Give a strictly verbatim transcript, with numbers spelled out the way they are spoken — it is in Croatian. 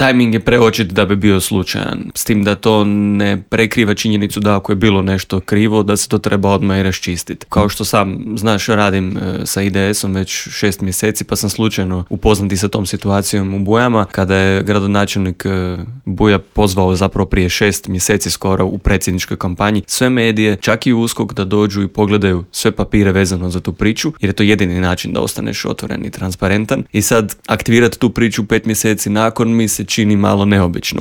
Tajming je preočit da bi bio slučajan, s tim da to ne prekriva činjenicu da ako je bilo nešto krivo, da se to treba odmah i raščistiti. Kao što sam, znaš, radim e, sa I D S-om već šest mjeseci, pa sam slučajno upoznati sa tom situacijom u Bujama, kada je gradonačelnik e, Buja pozvao zapravo prije šest mjeseci skoro u predsjedničkoj kampanji sve medije, čak i USKOK, da dođu i pogledaju sve papire vezano za tu priču, jer je to jedini način da ostaneš otvoren i transparentan. I sad aktivirati tu priču pet mjeseci nakon mi se čini malo neobično.